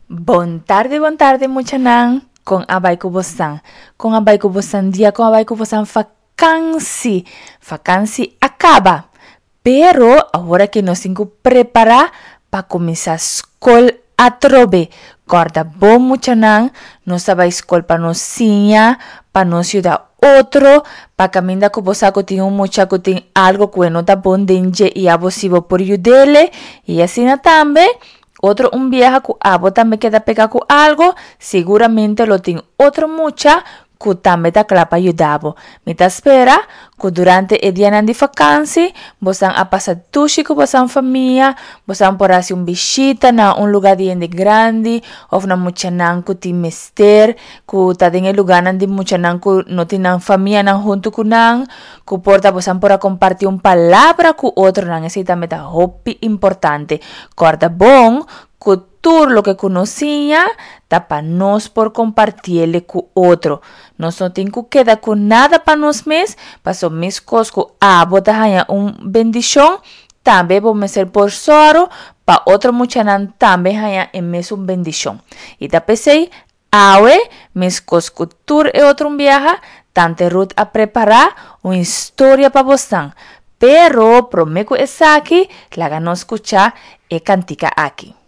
Bon tardi bon tardi muchanan kon a bai ku bosan kon a bai ku bosan dia kon a bai ku bosan fakansi fakansi a kaba pero awor aki nos tin ku prepara pa kuminsá skol atrobe kòrda bon muchanan nos ta bai skol pa nos siña pa nos yuda otro pa kaminda ku bo sa ku tin un mucha ku tin algo ku e no ta bon den dje i abo si bo por yud'ele i asina tambe Otro un biaha ku abo tambe keda pega ku algo, siguramente lo tin otro mucha ku tambe ta kla pa yuda bo. Mi ta spera ku durante e dianan di fakansi bosan a pasa dushi ku bosan famia, bosan por hasi un bishita na un luga di hende grandi òf na muchanan ku tin mester, ku ta den e luganan di muchanan ku no tin nan famianan huntu ku nan. Ku por ta bosan por a kompartí un palabra ku otronan, esei tambe ta hopi importante. Kòrda bon ku tur loke ku nos siña ta pa nos por kompartiele ku otro. Nos no tin ku keda ku nada pa nos mes, pasobra meskos ku abo ta haña un bendishon, tambe bo mester por sòru pa otro muchanan tambe haña e mesun bendishon. I ta p'esei Awe, meskos ku tur e otro un biaha, Tante Ruth a prepará un historia pa bosnan. Pero promé ku esaki, laga nos skuchá e kantika aki.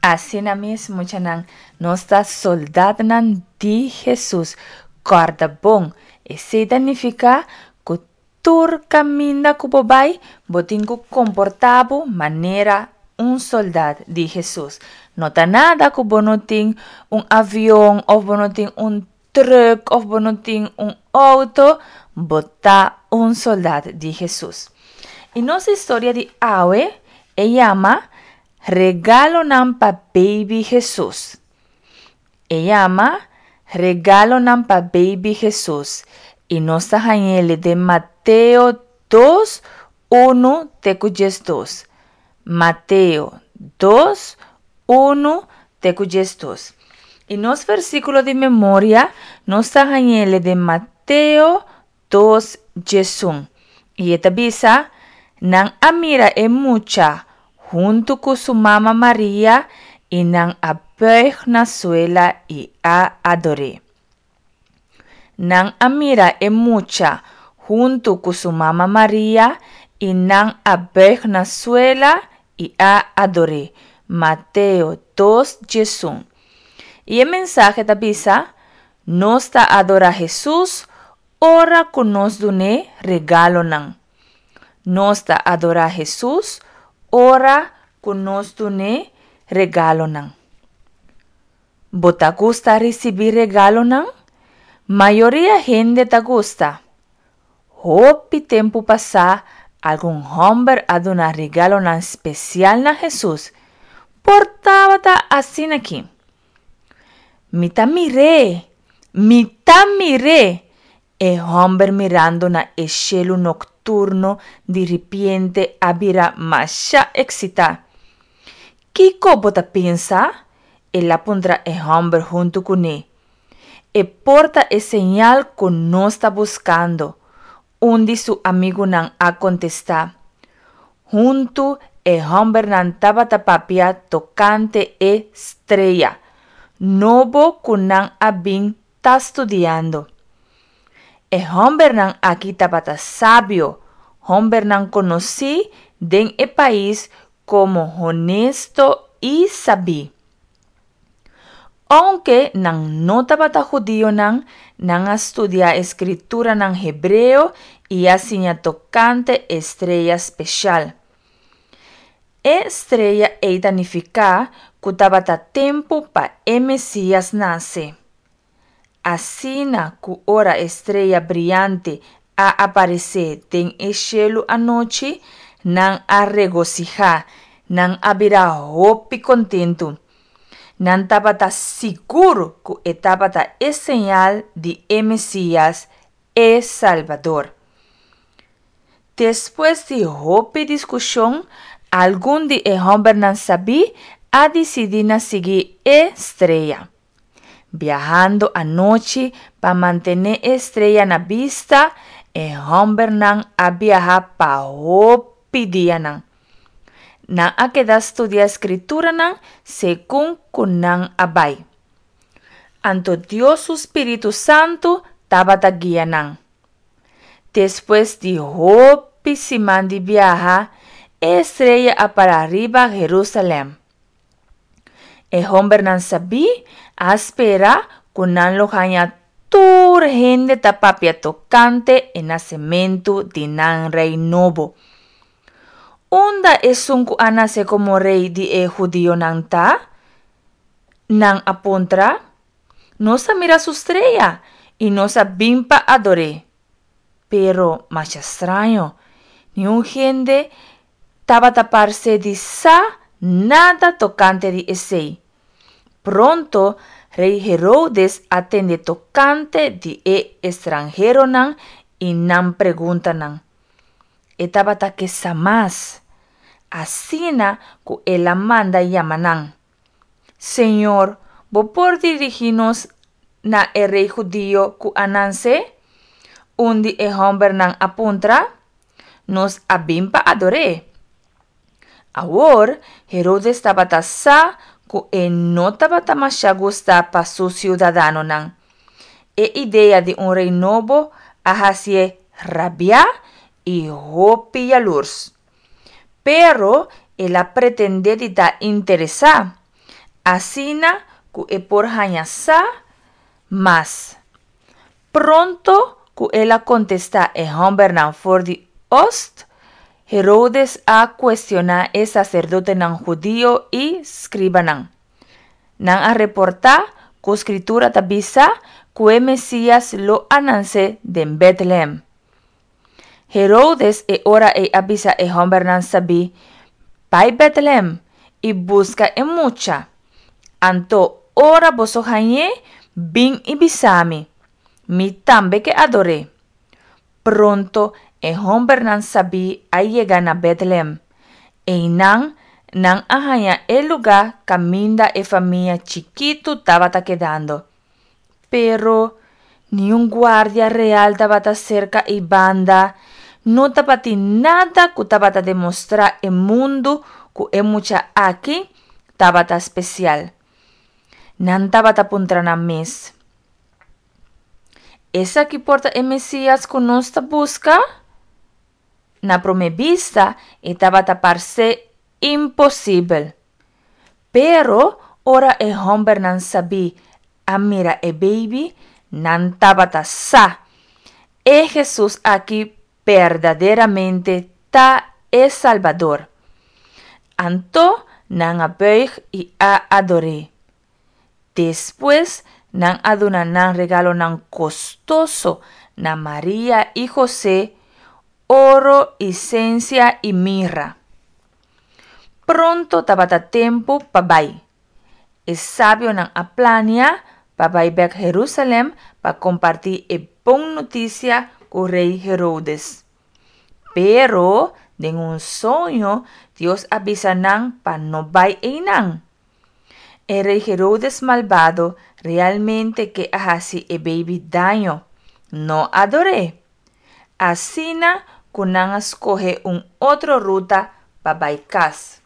Asina mes, muchanan, nos ta soldatnan di Hesus. Kòrda bon, esei ta nifiká ku Tur kaminda ku bo bai, bo tin ku komportá bo manera un soldat di Hesus. No ta nada ku bo no tin un avion òf bo no tin un trùk òf bo no tin un outo, bo ta un soldat di Hesus. I nos historia di awe e yama Regalonan pa Baby Hesus. E yama Regalonan pa Baby Hesus i nos ta hañ'el den Mateo dos, unu te ku diesdos. Mateo dos, unu te ku diesdos. I nos versíkulo di memoria nos ta hañ'el den Mateo dos, diesun. I e ta bisa, Nan a mira e mucha huntu ku su mama Maria i nan a bùig na suela i a ador'é. Nan a mira e mucha huntu ku su mama Maria i nan a bùig na suela i a ador'é. Mateo dos diesun. I e mensahe ta bisa, Nos ta adorá Hesus ora ku nos dun'é regalonan. Nos ta adorá Hesus ora ku nos dun'é regalonan. Bo ta gusta risibí regalonan? Mayoria hende ta gusta. Hopi tempu pasá algun hòmber a duna regalonan spesial na Hesus. Por tabata asin'akí. Mi ta mir'é! Mi ta mir'é! E hòmber mirando na e shelu nokturno di ripiente a bira masha eksitá. Kiko bo ta pensa? El a puntra e hòmber huntu kuné. E por ta e señal ku nos ta buskando, un di su amigunan a kontestá. Huntu e hòmbernan tabata papia tokante e strea nobo ku nan a bin ta studiando. E hòmbernan aki tabata sabio, hòmbernan konosí den e pais komo honesto i sabí. Ounke nan no tabata hudionan, nan a studia e Skrituranan Hebreo i a siña tokante e strea speshal. E strea ei ta nifiká ku tabata tempu pa e Mesías nase. Asina ku ora e strea briante a aparesé den e shelu anochi, nan a regosihá, nan a bira hopi kontentu. Nan tabata sigur ku e tabata e señal di e Mesías, e Salbador. Despues di hopi diskushon, algun di e hòmbernan sabí a disidí na sigui e strea. Biahando anochi pa mantené e strea na bista, e hòmbernan a biaha pa hopi dianan. Nan a keda studia Skrituranan segun ku nan a bai. Anto Dios su spiritu santu tabata guia nan. Despues di hopi siman di biaha, e strea a para riba Herúsalèm. E hòmbernan sabí a spera ku nan lo haña tur hende ta papia tokante e nasementu di nan rei nobo. Unda esun ku a nase komo rei di e hudionan ta? Nan a puntra. Nos a mira su strea i nos a bin pa ador'é. Pero masha straño, niun hende tabata parse di sa nada tokante di esei. Pronto rei Herodes a tende tokante di e estranheronan i nan preguntanan. E tabata ke sa mas. Asina ku el a manda yama nan. Señor, bo por dirigí nos na e rei hudio ku a nanse? Un di e hòmbernan a puntra. Nos a bin pa ador'é. Awor, Herodes tabata sa ku e no tabata masha gustá pa su siudadanonan. E idea di un rei nobo a hasié rabiá i hopi yalurs. Pero el a pretendé di ta interesá, asina ku e por haña sa mas. Pronto ku el a kontestá e hòmbernan for di ost, Herodes a kuestioná e saserdotenan hudio i skribanan. Nan a reportá ku Skritura ta bisa ku e Mesías lo a nanse den Bètlehèm. Herodes e ora ei a bisa e hòmbernan sabí, Bai Bètlehèm i buska e mucha. Anto ora boso hañ'é, bin i bisa mi. Mi tambe ke ador'é. Pronto e hòmbernan sabí a yega na Bètlehèm. Einan nan a haña e lugá kaminda e famia chikitu tabata kedando. Pero, niun guardia real tabata serka ei banda, No tabatin nada ku tabata demostrá e mundu ku e mucha aki tabata spesial. Nan tabata puntra nan mes, Esaki por ta e Mesías ku nos ta buska? Na promé bista e tabata parse imposibel. Pero ora e hòmbernan sabí a mira e beibi, nan tabata sa, E Hesus aki berdaderamente ta e Salbador. Anto nan a bùig i a ador'é. Despues nan a duna nan regalonan kostoso na Maria i José, oro, isensia i mirra. Pronto tabata tempu pa bai. E sabionan a plania pa bai bèk Herúsalèm pa kompartí e bon notisia ku Rei Heródes. Pero, den un soño, Dios a bisa nan pa no bai einan. E rei Herodes malbado realmente ke a hasi e beibi daño, no ador'é. Asina ku nan a skohe un otro ruta pa bai kas.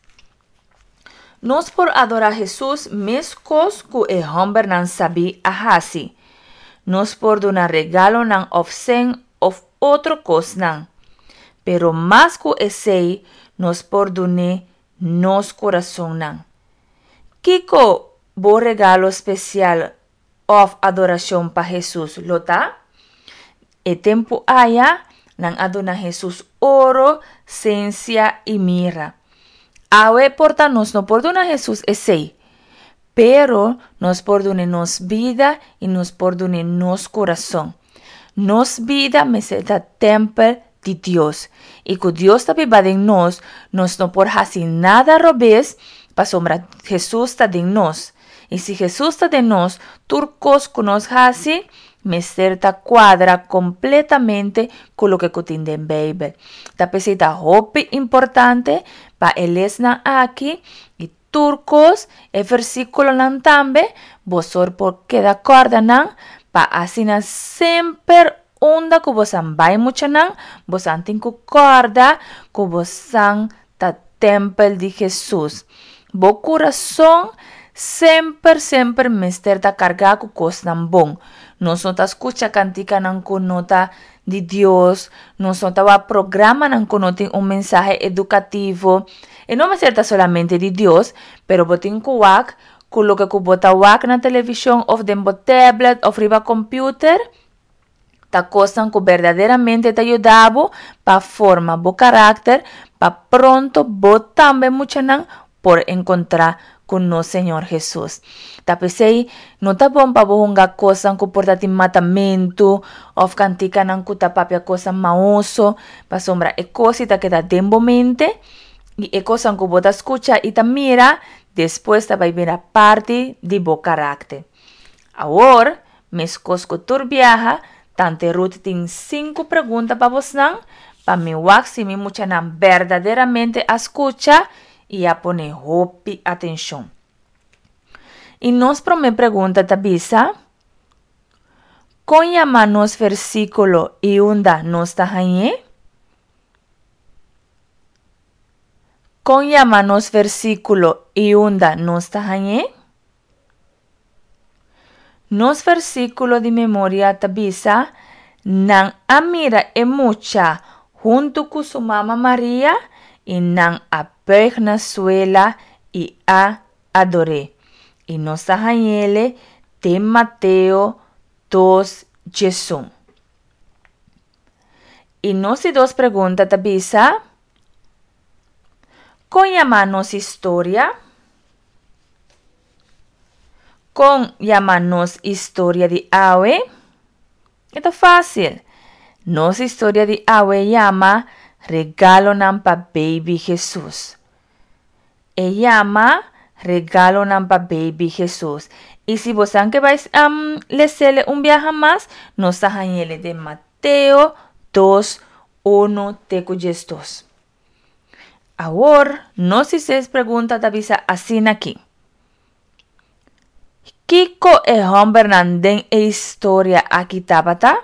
Nos por adorá Hesus meskos ku e hòmbernan sabí a hasi. Nos por duna regalonan òf sèn òf otro kosnan. Pero mas ku esei, nos por dun'é nos kurasonnan. Kiko bo regalo spesial òf adorashon pa Hesus lo ta? E tempu aya, nan a duna Hesus oro, sensia i mirra. Awe por ta nos no por duna Hesus esei, pero nos por dun'é nos bida i nos por dun'é nos kurason. Nos bida mester ta tèmpel di Dios, i ku Dios ta biba den nos, nos no por hasi nada robes pasobra Hesus ta den nos. I si Hesus ta den nos, tur kos ku nos hasi mester ta kuadra kompletamente ku loke ku tin den Beibel. Ta p'esei ta hopi importante pa e lesnan aki i Tur kos, e versíkulonan tambe, bosor por keda kòrda nan, pa asina semper unda ku bosan bai muchanan, bosan tin ku kòrda ku bosan ta tèmpel di Hesus. Bo kurason semper semper mester ta kargá ku kosnan bon. Nos no ta skucha kantikanan ku no ta di Dios, nos no ta wak programanan ku no tin un mensahe edukativo. E no mester ta solamente di Dios, pero bo tin ku wak ku loke ku bo ta wak na televishon òf den bo tablet òf riba computer ta kosnan ku berdaderamente ta yuda bo pa forma bo karakter pa pronto bo tambe muchanan por enkontrá ku nos Señor Hesus. Ta p'esei no ta bon pa bo hunga kosnan ku por ta tin matamentu òf kantikanan ku ta papia kosnan maoso, pasobra e kos ei ta keda den bo mente i e kosnan ku bo ta skucha i ta mira despues ta bai bira parti di bo karakter. Awor, meskos ku tur biaha, Tante Ruth tin sinku pregunta pa bosnan, pa mi wak si mi muchanan berdaderamente a skucha i a pone hopi atenshon. I nos promé pregunta ta bisa, Kon yama nos versíkulo i unda nos ta hañ'é? Kon yama nos versíkulo i unda nos ta hañ'é? Nos versíkulo di memoria ta bisa, Nan a mira e mucha huntu ku su mama Maria i nan a bùig na suela i a ador'é. I nos ta hañ'ele den Mateo dos djesun. I nos di dos pregunta ta bisa, Kon yama nos historia? Kon yama nos historia di awe? E ta fásil. Nos historia di awe yama Regalonan pa Baby Hesus. E yama Regalonan pa Baby Hesus. I si bosan ke bai lesele un biaha mas, nos ta hañ'ele den Mateo dos, unu te ku diesdos. Awor, nos di seis pregunta ta bisa asina aki. Kiko e hòmbernan den e historia aki tabata?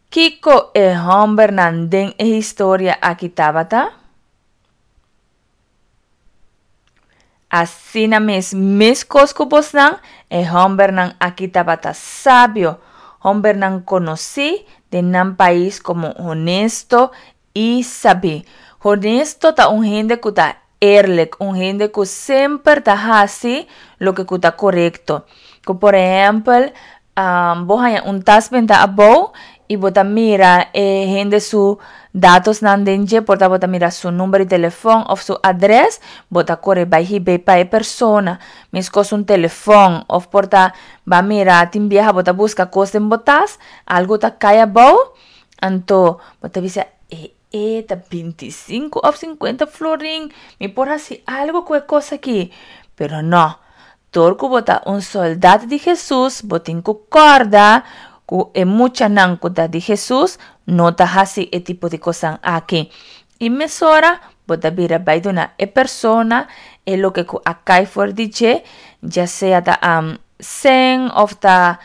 Kiko e hòmbernan den e historia aki tabata? Asina mes, meskos ku bosnan, e hòmbernan aki tabata sabio, hòmbernan konosí den nan pais komo honesto i sabí. Honesto ta un hende ku ta eerlijk, un hende ku semper ta hasi loke ku ta korekto. Ku por ehèmpel, bo haña un tas benta abou i bo ta mira e hende su datosnan den dje, por ta bo ta mira su number di telefòn òf su adrès, bo ta kore bai hib'é pa e persona. Meskos un telefòn òf por ta ba mira tin biaha bo ta buska kos den bo tas, algu ta kai abou, anto bo ta bisa e e ta bintisinku òf sinkuenta florin, mi por hasi algu ku e kos aki. Pero nò, Dor ku bo ta un sòldat di Hesus, bo tin ku kòrda ku e muchanan ku ta di Hesus no ta hasi e tipo di kosnan aki. I mesora bo ta bira bai duna e persona e loke ku a kai for di dje, ya sea ta sèn òf ta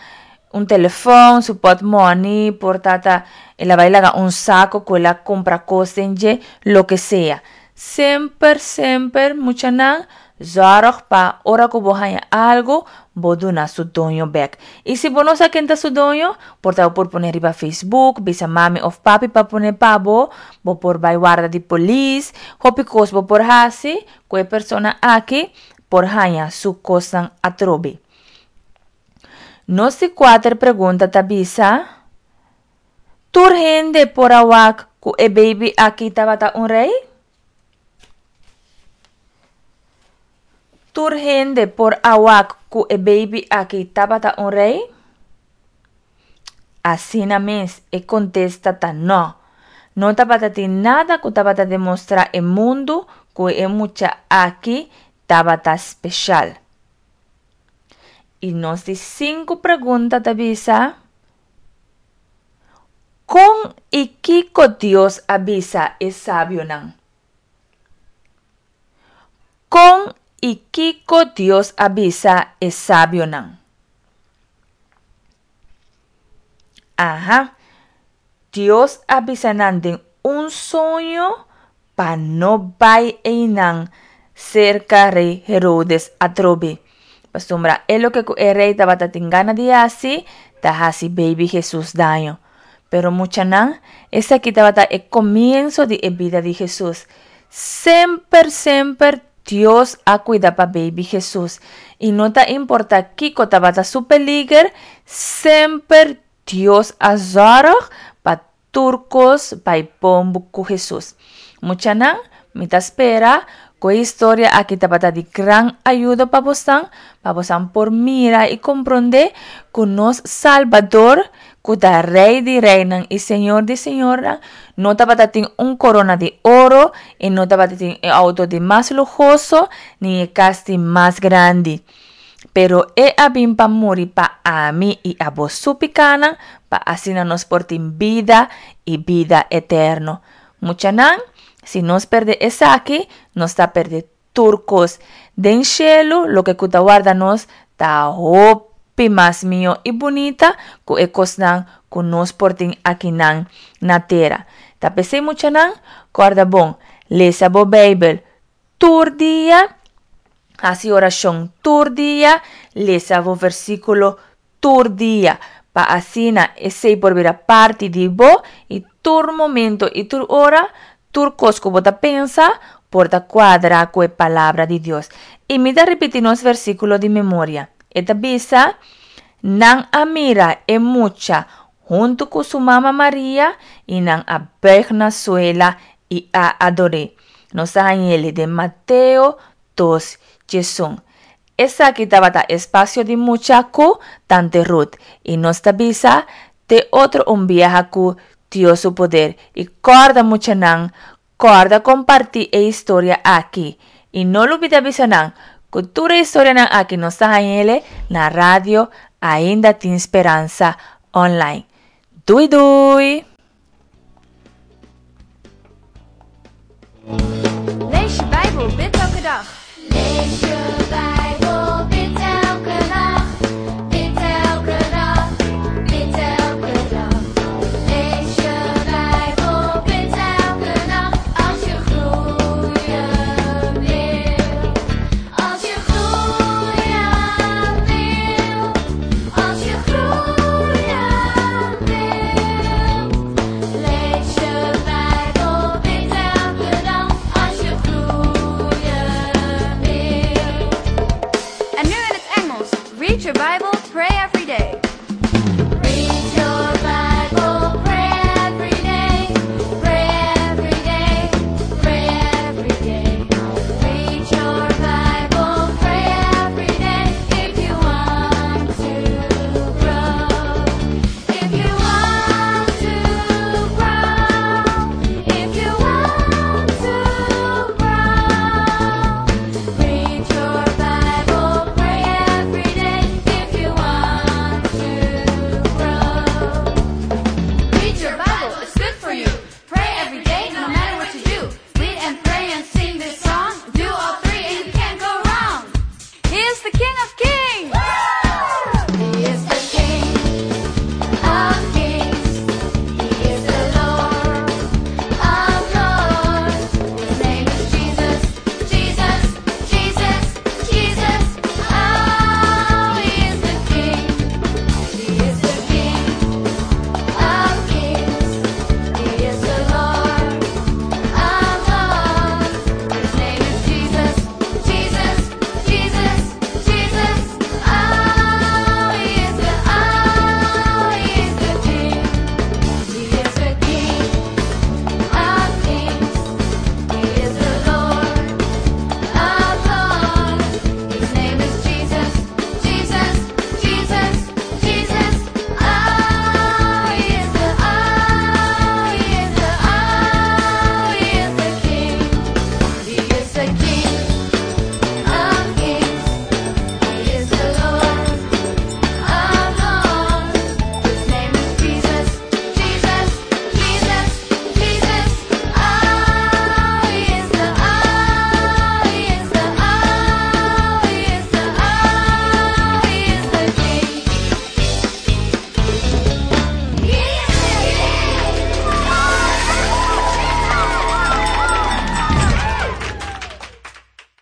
un telefòn, su pòtmòni, por ta ta el a bai laga un sako ku el a kumpra kos den dje, loke sea. Semper semper muchanan zorg pa ora ku bo haña algu bo duna su doño bek. I si bo no sa ken ta su doño, por ta bo por pone riba Facebook, bisa mami òf papi pa pone pa bo, bo por bai warda di polis, hopi kos bo por hasi ku e persona aki por haña su kosnan atrobe. Nos di kuater pregunta ta bisa, Tur hende por a wak ku e baby aki tabata un rei? Tur hende por a wak ku e baby aki tabata un rei? Asina mes, e kontesta ta nò. No tabata tin nada ku tabata demostrá e mundu ku e mucha aki tabata speshal. I nos di sinku pregunta ta bisa, Kon i kiko Dios a bisa e sabionan? Kon i kiko Dios a bisa e sabionan? Aha, Dios a bisa nan den un soño pa no bai einan serka rei Herodes atrobe, pasobra e loke ku e rei tabata tin gana di hasi ta hasi beibi Hesus daño. Pero muchanan, esaki tabata e komienso di e bida di Hesus. Semper, semper Dios a kuida pa beibi Hesus, i no ta importa kiko tabata su peliger, semper Dios a zòrg pa Tur kos bai bon ku Hesus. Muchanan, mi ta spera ku e historia aki tabata di gran ayudo pa bosan, pa bosan por mira i komprondé ku nos Salbador, ku ta Rei di reinan i Señor di señornan, no tabata tin un korona di oro i no tabata tin e outo di mas luhoso ni e kas di mas grandi. Pero e a bin pa muri pa ami i abo su pikánan, pa asina nos por tin bida i bida eterno. Muchanan, si nos pèrdè esaki, nos ta pèrdè tur kos. Den shelu, loke ku ta warda nos ta hopi mas mihó i bunita ku e kosnan ku nos por tin akinan na tera. Ta p'esei, muchanan, kòrda bon, lesa bo Beibel tur dia, hasi orashon tur dia, lesa bo versíkulo tur dia, pa asina esei por bira parti di bo i tur momento i tur ora, tur kos ku bo ta pensa por ta kuadra ku e Palabra di Dios. I mi ta ripití nos versíkulo di memoria. E ta bisa, Nan a mira e mucha huntu ku su mama Maria i nan a bùig na suela i a ador'é. Nos ta hañ'el den Mateo dos djesun. Esaki tabata espasio di mucha ku Tante Ruth i nos ta bisa te otro un biaha ku Dios su poder i kòrda muchanan kòrda kompartí e historia aki i no lubida bisa nan ku tur e historianan aki nos ta hañ'el na radio Ainda Tin Speransa online. Dui dui! Lees je Bijbel, bid elke dag. Lees je Bijbel.